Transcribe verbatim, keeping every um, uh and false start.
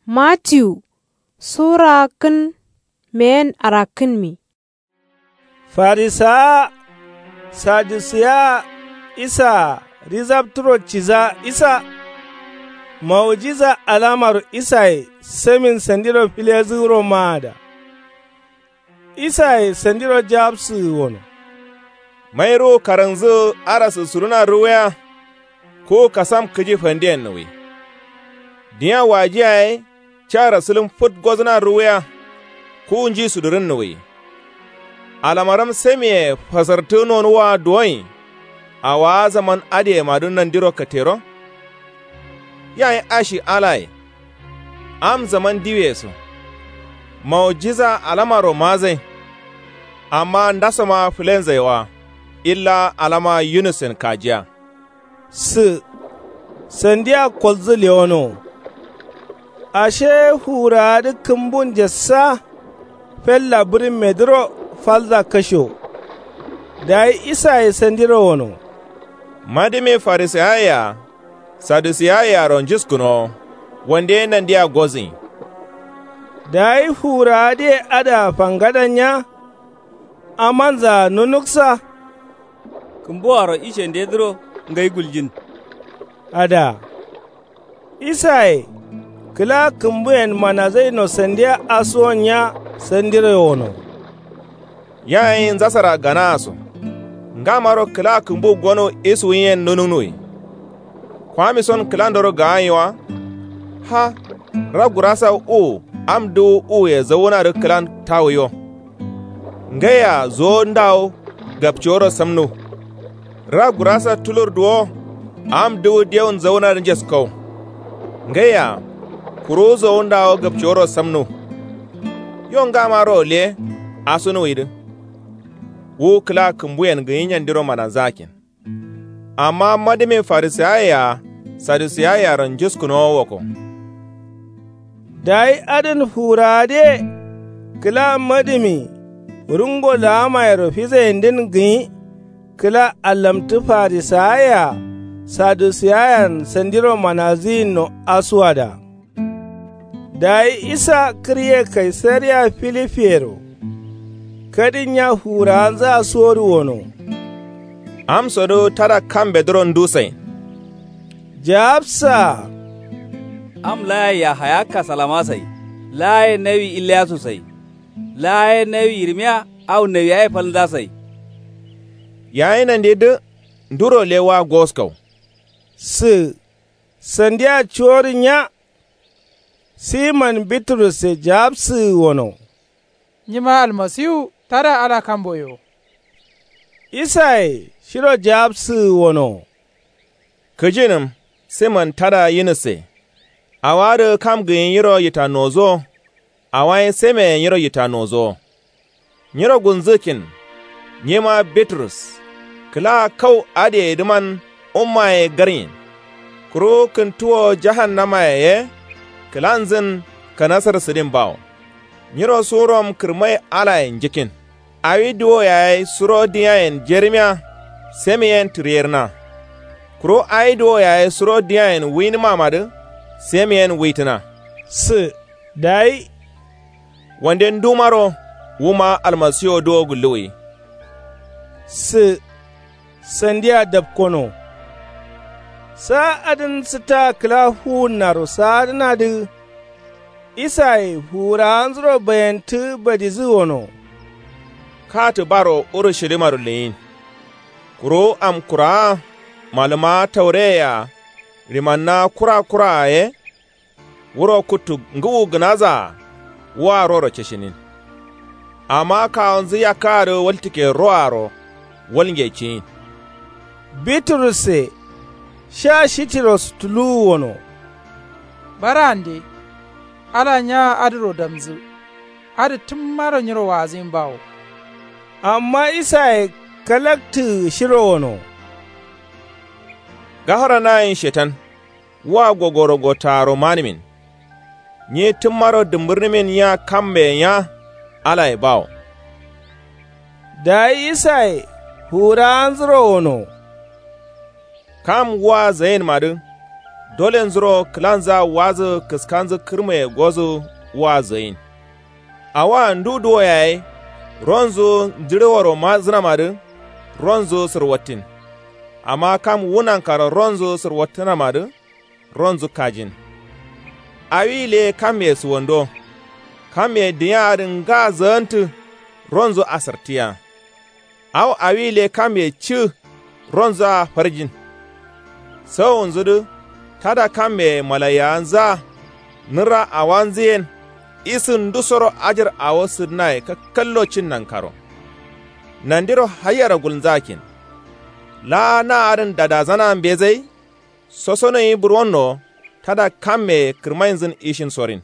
Matiyu sura hakkǝn meyen arakkǝnmi. Farisawa, sadusiyawa, isaa rizabturo ciza isa. Maujiza alamaro isaye semin sandiro filezǝ wuro maada. Isaye sandiro jawabsǝgǝ wono. Mai ruwu karangzǝ arasǝ suruna ruwuya. Kuwu kasam kǝji fandiyen nuwi. Dinya waji yaye. Cara sǝlǝm fǝt gozǝna ruwuya. Kuwu nji sudurǝn nuwi. Alamaram semiye fasartǝ nonuwa duwoi. Awaa zaman adǝyemadǝ nandiro katero. Yayi ashi alaye. Am zaman diwiye so. Maujiza alamaro mazai. Amma ndasoma fǝlenzai wa. Illa alama yunusen kajiya. Sǝ sandiya kolzǝ lewono. Ashe fuwurawadǝ kǝmbun jassa. Fella bǝrimmedǝro falza kasho. Dayi isaye sandiro wono. Madǝme farisayayea. Sadusiyayea ro njuskǝnowo. Wande nandiya gozǝnyi. Dayi fuwurawadǝye adǝa fangadanya. Amanzaa nunuksa. Kǝmbuwaro ishendedǝro ngai guljin. Adǝa. Isaye kǝla kǝmbuyen manazaino sandiya asuwon nya sandiro wono. Yayi njasara ganaa so. Ngamaro kǝla kǝmbu gono isuwuyen nunuknuwi. Kwamison kǝlandoro gaanyi wa. Ha. Ra gurasa uwu am dǝwu uwuye zawunadǝ kǝlan tawuyo. Ngaiya zowo ndawo gapciworo samnu. Ra gurasa tulur duwo. Am dǝwu dewun zawunadǝ njeskow. Ngaiya kuruwu zowo ndawo gapciworo samnu. Yo ngamaro le asunuwidǝ. Wu kǝla kǝmbuyen gǝnyi nyandiro mananzakin. Amma madǝme farisayayea sadusiyayea ro njuskǝnowo woko. Dayi adǝn fuwurawadǝye kǝla madǝmi rungo laamayero fizayindǝn gǝnyi. Kǝla allamtǝ farisayayea sadusiyayean sandiro manazǝyinno asuwada. Dayi isa kǝrye kaisariya filifiyero. Kadin nya fuwurawanzǝa suwodǝ wono. Amsodǝ tada kambedǝro ndusain. Jawabsaa. Am laaye yahaya kasalama sai. Laaye nawi iliyasu sai. Laaye nawi yirmiya au nawiyaye falnza sai. Yayi nandedǝ nduro lewa goskau. Sǝ sandiya cuwodǝ nya. Siman biturusse jawabsǝgǝ wono. Nyima almasiwu tada ala kamboyo. Isaye shiro jawabsǝgǝ wono. Kǝjinǝm siman tada yinusse. Awadǝ kam gǝnyi nyiro yitannozuwo. Awaye semeye nyiro yitannozuwo. Nyiro gunzǝkin. Nyima biturus kǝla kau adǝyedǝman ummaye garnyin. Kuru kǝntuwo jahannamaye ye kǝlanzǝn kanasar sǝdin bawo. Nyiro surom kǝrmai alayen njikin. Awi duwo yaye suro diyayen jerimiya. Semiyen tǝriyerna. Kuru awi duwo yaye suro diyayen wuinǝmamadǝ. Semiyen wuitǝna. Sǝ dayi. Wande ndumaro wuma almasiwo duwo gulluwi. Sǝ sandiya dapkono. Saa adǝn sǝta kǝla fuwunnaro saadǝnadǝ. Isaye fuwurawanzuro bayantǝ badizǝ wono. Katǝ baro urushilimaro leyin. Kuru amkurawaa malǝmawa taureyea rimannawa kura kuraa ye. Wuro kuttu ngǝwu gǝnazaa. Wuwa roro cishinin. Amma kawonzǝ yakkaadǝ waltǝkke roaro walnge ciyin. Biturusse sha shitiros tuluwu wono. Barande ala nyawa adǝro damzǝ. Adǝ tǝmmaro nyiro waazǝyin bawo. Amma isaye kalaktǝgǝ shiro wono. Gafara nayin shetan. Wa gogoro gottaaro manǝmin. Nyi tǝmmaro dǝmbǝrnǝmin nya kambe nya. Alaye bawo. Dayi isaye fuwurawanzuro wono. Kam wa zayinmadǝ. Dolenzuro kǝlanzǝa wazǝ kǝskanzǝ kǝrmaye gozǝ. Wazǝ yin. Awoa ndu duwo yaye ronzǝ njǝɍeworo mazǝnamadǝ. Ronzǝ sǝrwattin. Amma kam wu nankaro ronzǝ sǝrwattǝnamadǝ. Ronzǝ kajin. Awi le kamme sǝwando. Kamme dǝnyaadǝ nga zǝgǝntǝ. Ronzǝ asartǝya. Awo awi le kamme cǝ. Ronzǝa farjin. Sawunzudǝ tada kammeye malaiyawanzǝa. Nǝra awanzǝyen. Isǝ ndusoro ajar awo sǝdǝnaye kakkallo cin nankaro. Nandiro haiyero gulnzakin. Laa na adǝn dadazana mbezai. Sosonoyi burwonno tada kammeye kǝrmainzǝn ishin sorin.